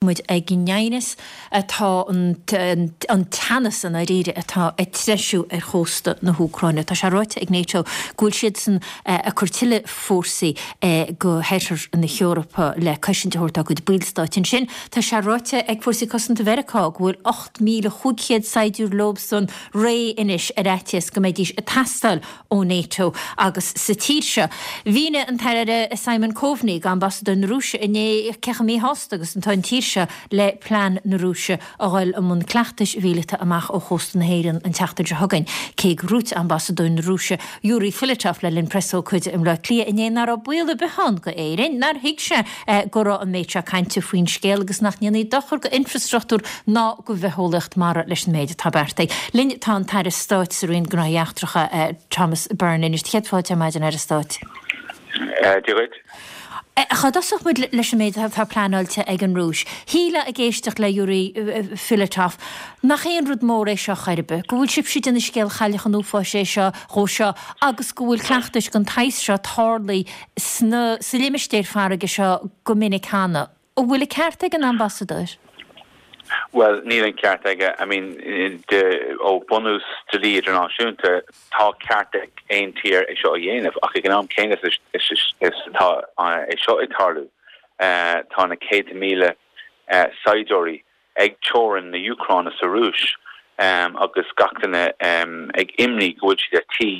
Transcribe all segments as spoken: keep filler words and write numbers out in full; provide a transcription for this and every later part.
Muid ag an aighneas atá an an teannas i ndáiríre atá ag treisiú ar chósta na hÚcráine. Tá sé ráite ag NATO go bhfuil siadsan ag cur tuilleadh fórsaí go hoirthear na hEorpa le cosaint a thabhairt dá gcuid ballstáit ansin. Tá sé ráite ag Fórsaí Cosanta Mheiriceá go bhfuil ocht míle chúig chéad saighdiúir leobsan réidh anois ar fhaitíos go mbeidís ag teastáil ó NATO agus sa tír seo. Mhínigh an tAire Simon Coveney d'ambasadóir na Rúise inné cé chomh míshásta agus atá an tír seo le plean na Rúise a dhul i mbun cleachtais mhíleata amach ó chósta na hÉireann an tseachtain seo chugainn. Cé gur dhúirt ambasadóir na Rúise Yuri Filatov le linn preasócáide i mBleá Cliath inné nach raibh baol ar bith ann go Éirinn, nár thuig sé go raibh an méid seo cainte faoin scéal agus nach ndéanfaí dochar go infrastruchtúr ná go bhitheolaíocht mara leis an méid atá beartaithe. Linn tá an tAire Stáit sa Roinn Gnóthaí Eachtracha Thomas Byrne anois. Céad fáilte ar maidin, Aire Stáit. Dia dhuit. Cá dtosódh muid leis an méid atá pleanáilte ag an Rúis? Shílfeá ag éisteacht le Yuri Filatov nach aon rud mór é seo chor ar bith, go bhfuil sibhse ag déanamh scéal Chailleach an Uafáis é seo dhó seo agus go bhfuil cleachtais den tsaghas seo tarlaithe sna sa limistéar farraige seo go minic cheana. An bhfuil an ceart ag an ambasadóir? Bhuel, níl an ceart aige. I mean, de, ó bunús dlí idirnáisiúnta, tá ceart ag aon tír é seo a dhéanamh, ach ag an am céanna is, is, is, is tá é seo ag tarlú, tá na céadta míle saighdiúirí ag teorainn na hÚcráine sa Rúis agus gach duine ag imní go bhfuil siad ar tí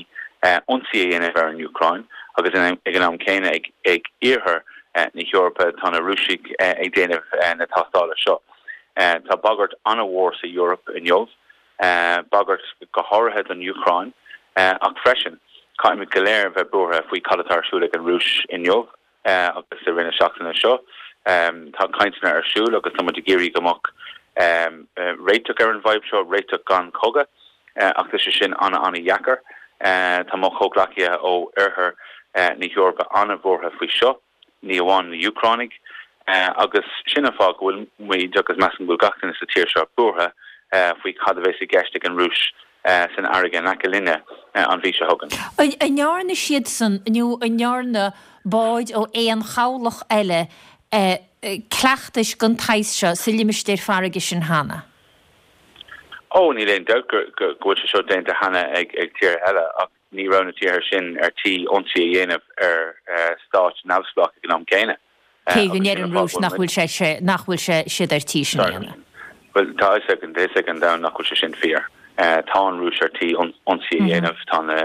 ionsaí a dhéanamh ar an Úcráin agus ag an am céanna ag, ag iarthar na hEorpa tá na Rúisigh ag déanamh na tástála seo. Tá bagairt an-mhór sa Eoraip inniu, bagairt go háirithe don Úcráin, ach freisin caithfimid go léir bheith buartha faoi cad atá ar siúl ag an Rúis inniu agus i rith na seachtaine seo. Tá cainteanna ar siúl agus tá muid ag iarraidh go mbeadh réiteach ar an bhfadhb seo, réiteach gan chogadh, ach tá sé sin an-an-dheacair. Tá mo chomhghleacaithe ó oirthear na hEorpa an-bhuartha faoi seo. ní amháin na hÚcránaigh, agus sin an fáth go bhfuil muid, agus measaim go bhfuil gach duine sa tír seo, buartha faoi cad a bheas i gceist ag an Rúis san fharraige in aice linne an mhí seo chugainn. An ndearna siadsan, nó an ndearna báid ó aon chabhlach eile cleachtais den tsaghas seo sa limistéar farraige sin cheana? Ó, níl aon dabht go bhfuil sé seo déanta cheana ag tíortha eile, ach ní raibh na tíortha sin ar tí ionsaí a dhéanamh ar stáit neamhspleách ag an am céanna. Cé go ndeir an Rúis nach bhfuil sé nach bhfuil sé siad ar tí sin a dhéanamh. Bhuel, tá a fhios ag tá a fhios ag an domhan nach bhfuil sé sin fíor. Tá an Rúis ar tí ionsaí a dhéanamh, tá na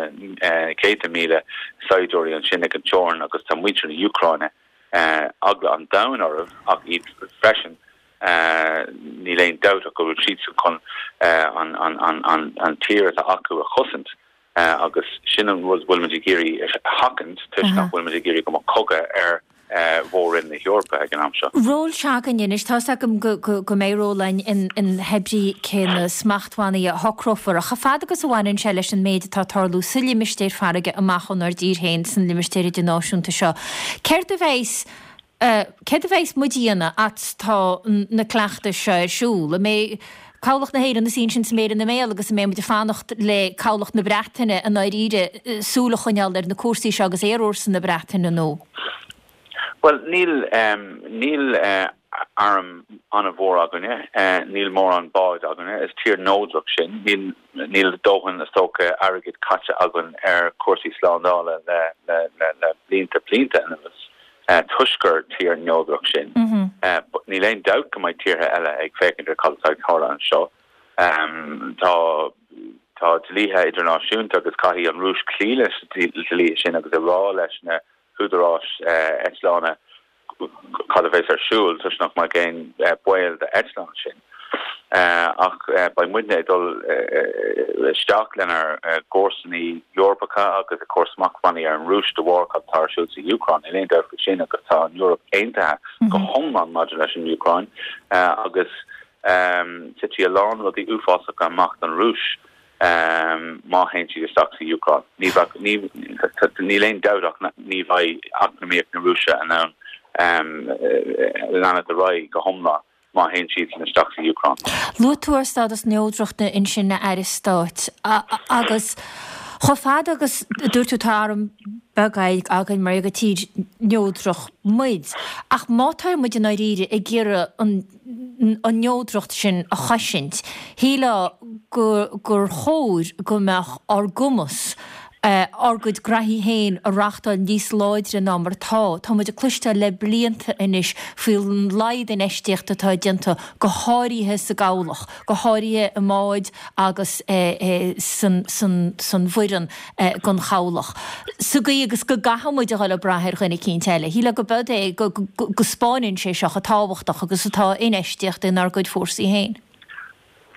céadta míle saighdiúirí ansin ag an teorainn agus tá muintir na hÚcráine eagla an domhain orthu ach iad freisin. Níl aon dabht ach go bhfuil siadsan chun an tír atá acu a chosaint agus sin an rud a bhfuilimid ag iarraidh a sheachaint toisc nach bhfuilimid ag iarraidh go mbeadh cogadh ar mhór-roinn na hEorpa ag an am seo. Ról s'againne anois, tá's agam go mbeidh ról againn in hébrí cé na smachtbhannaí a shocrófar, ach chomh fada agus a bhaineann sé leis an méid atá ag tarlú sa limistéar farraige amach ónár dtír féin san limistéar idirnáisiúnta seo, céard a bheas Céard a bheas muid a dhéanamh fhad 's tá na cleachtais seo ar siúl? An mbeidh Cabhlach na hÉireann ina suí ansin 's a méar ina mbéal agus an mbeidh muid ag fanacht le Cabhlach na Breataine i ndáiríre súil a choinneáil ar na cúrsaí seo agus aerfhórsa na Breataine nó? Bhuel, níl, níl arm an-mhór againne, níl mórán báid againne, is tír neodrach sinn, níl, níl dóthain, is dócha, airgead caite againn ar chúrsaí slándála le, le, le, le blianta, blianta anuas. Toisc gur tír neodrach sinn. Níl aon dabht go mbeidh tíortha eile ag féachaint ar cad atá ag tarlú anseo. Tá tá dlíthe idirnáisiúnta agus caithfidh an Rúis cloí leis na dlíthe sin agus a rá leis na húdaráis eitleána cad a bheas ar siúl toisc nach mbeadh aon baol d'eitleáin sin. Ach beidh muidne ag dul isteach lenár gcomharsanaí Eorpacha agus ag cur smachtbhannaí ar an Rúis de bharr cad atá ar siúl sa Úcráin. Níl aon dabht faoi sin agus tá an Eoraip aontaithe go hiomlán maidir leis an Úcráin agus titfidh a lán rudaí uafásacha amach don Rúis má théann siad isteach sa Úcráin. Ní bheadh, níl aon dabht ach ní bheidh eacnamaíocht na Rúise in ann leanacht ar aghaidh go hiomlán. má théann siadsan isteach sa Úcráin. Luaigh tú ár stádas neodrachta ansin, a Aire Stáit, agus Chomh fada agus dúirt tú tá arm beag againn mar gur tír neodrach muid, ach má tá muid i ndáiríre ag iarraidh an an neodracht sin a chosaint, shílfeá gur chóir go mbeadh ár gcumas ár gcuid graithí féin a reachtáil níos láidre ná mar atá. Tá muid ag cloisteáil le blianta anois faoin laghad infheistíochta atá déanta, go háirithe sa gcabhlach, go háirithe i mbáid agus san bhfoireann don chabhlach. Sa gcaoi agus go gcaithfidh muid a dhul ag brath ar dhuine eicínt eile. Shílfeá go b'eod é go spáineann sé seo chomh tábhachtach agus atá infheistíocht inár gcuid fórsaí féin.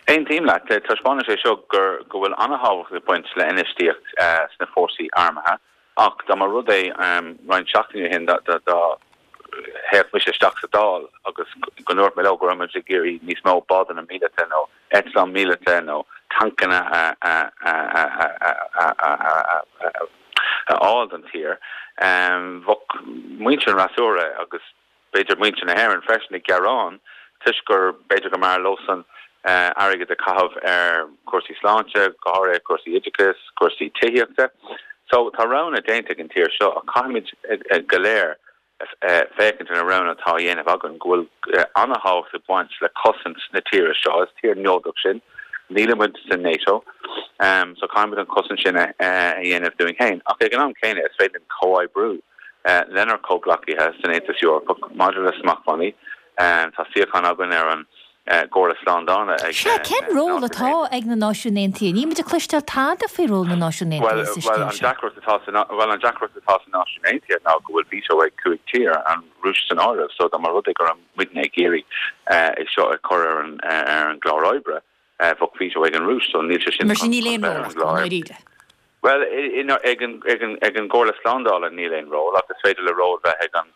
Aontaím leat. Taispeánann sé seo gur go bhfuil an-tábhacht ag baint le infheistíocht sna fórsaí armtha ach dá mba rud é roinnt seachtainí ó shin dá théadh mise isteach sa Dáil agus go ndúirt mé leo go raibh muid ag iarraidh níos mó bádanna míleata nó eitleán míleata nó tancanna a fháil don tír, bheadh muintir an fhreasúra agus b'fhéidir muintir na hÉireann freisin ag gearán toisc gur b'fhéidir go mb'fhearr leosan airgead a chaitheamh ar chúrsaí sláinte, go háirithe cúrsaí oideachais, cúrsaí tithíochta. So tá roghanna déanta ag an tír seo ach caithfimid go léir féachaint ar na roghanna atá á dhéanamh againn, go bhfuil an-thábhacht ag baint le cosaint na tíre seo. Is tír neodrach sinn, nílimid sa NATO, so caithfimid an chosaint sin a dhéanamh dúinn féin. Ach ag an am céanna is féidir linn comhoibriú lenár comhghleacaithe san Aontas Eorpach maidir le smachtbhannaí. Tá suíochán againn ar an gComhairle Slándála ag Sea, cén ról atá ag na Náisiúin Aontaithe? Níl muid ag cloisteáil tada faoi ról na Náisiún Aontaithe sa scéal seo. Bhuel, an deacracht atá sna Náisiúin Aontaithe ná go bhfuil veto ag cúig tír, an Rúis san áireamh, so dá mba rud é go raibh muidne ag iarraidh é seo a chur ar an gclár oibre, bheadh veto ag an Rúis, so níl sé sin Mar sin níl aon ról acu, i ndáiríre. Bhuel, ag an gComhairle Slándála níl aon ról, ach is féidir le ról bheith ag an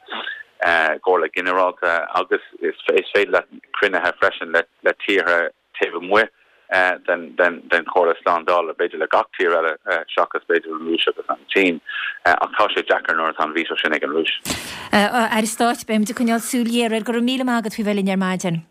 gComhairle Ghinearálta agus is féidir leat cruinnithe freisin le tíortha taobh amuigh den Chomhairle Slándála, b'fhéidir le gach tír eile seachas b'fhéidir an Rúis agus an tSín, ach tá sé deacair nuair atá an veto sin ag an Rúis. Aire Stáit, beimid ag coinneáil súil ghéar air. Go raibh míle maith agat faoi bheith linn ar maidin.